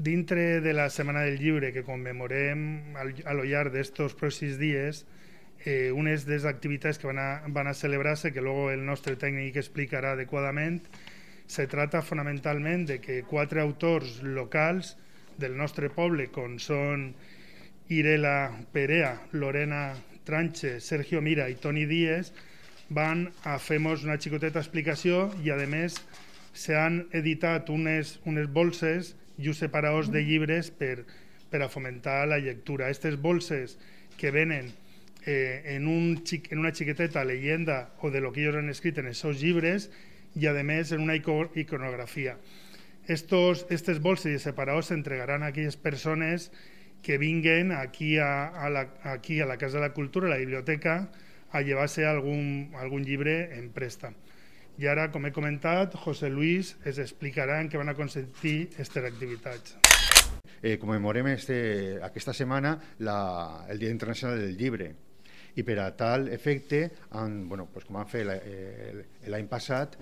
Dintre de la Setmana del Llibre que commemorem a lo llarg d'estos pròxims dies, unes de les activitats que van a celebrar-se, que luego el nostre tècnic explicarà adequadament, se trata fonamentalment de que 4 autors locals del nostre poble, com són Irela Perea, Lorena Tranche, Sergio Mira i Toni Díez, van a fer-nos una xicoteta explicació i, a més, s'han editat unes bolses i uns separadors de llibres per a fomentar la lectura. Aquestes bolses que venen en una xiqueteta leyenda o de lo que ellos han escrit en els seus llibres i, a més, en una iconografia. Aquestes bolses i separadors s'entregaran a aquelles persones que vinguen aquí a la Casa de la Cultura, a la biblioteca, a llevar-se algun llibre en préstec. I ara, com he comentat, José Luis ens explicarà en què van a consistir aquestes activitats. Commemorem aquesta setmana el Dia Internacional del Llibre i per a tal efecte, com han fet l'any passat,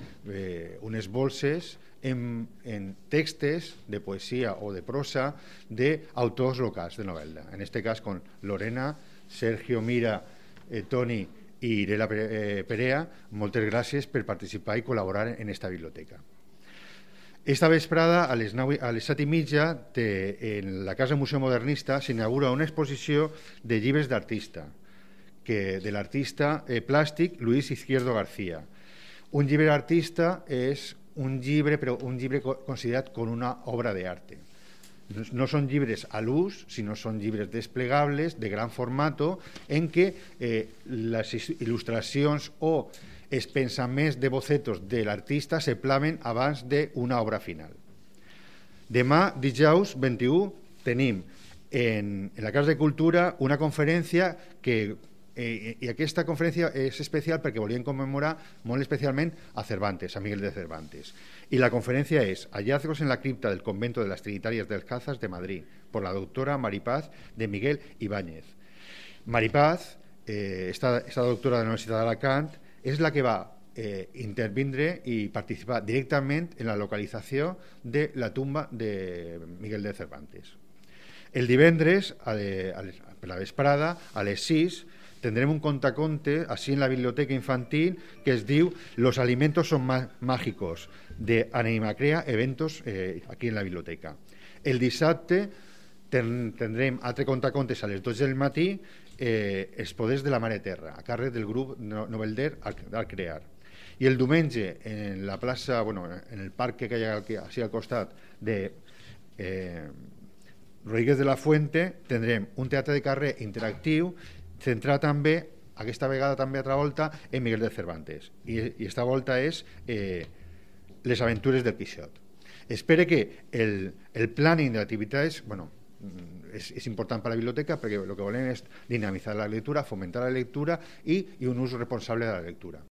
unes bolses en textos de poesia o de prosa d'autors locals de novel·la. En aquest cas, con Lorena, Sergio Mira, Toni i Irela Perea, moltes gràcies per participar i col·laborar en aquesta biblioteca. Esta vesprada, a les 7:30, en la Casa Museu Modernista s'inaugura una exposició de llibres d'artista, de l'artista plàstic Luis Izquierdo García. Un llibre d'artista és un llibre considerat com una obra d'arte. No són llibres a l'ús, sinó són llibres desplegables de gran formato en què les il·lustracions o els pensaments de bocetos de l'artista se plasmen abans d'una obra final. Demà, dijous 21, tenim en la Casa de Cultura una conferència i aquesta conferència és especial perquè volien commemorar molt especialment a Cervantes, a Miguel de Cervantes. Y la conferencia es Hallazgos en la cripta del convento de las Trinitarias Descalzas de Madrid, por la doctora Maripaz de Miguel Ibáñez. Maripaz, esta doctora de la Universitat d'Alacant, és la que va intervindre i participar directament en la localització de la tumba de Miguel de Cervantes. El divendres, per la vesprada, a les 6, tendrem un contaconte así en la biblioteca infantil que es diu Los alimentos son mágicos, de Animacrea Eventos, aquí en la biblioteca. El dissabte tindrem altre contacontes a les 12 del matí, Els poders de la mare terra, a càrrec del grup Novelder al Crear. I el diumenge, en la plaça, en el parc que hi ha aquí al costat de Rodríguez de la Fuente, tindrem un teatre de carrer interactiu centrat també, aquesta vegada també altra volta, en Miguel de Cervantes. I aquesta volta és Les aventures del Quixot. Espero que el planning de activitats és important per a la biblioteca perquè el que volem és dinamitzar la lectura, fomentar la lectura i un ús responsable de la lectura.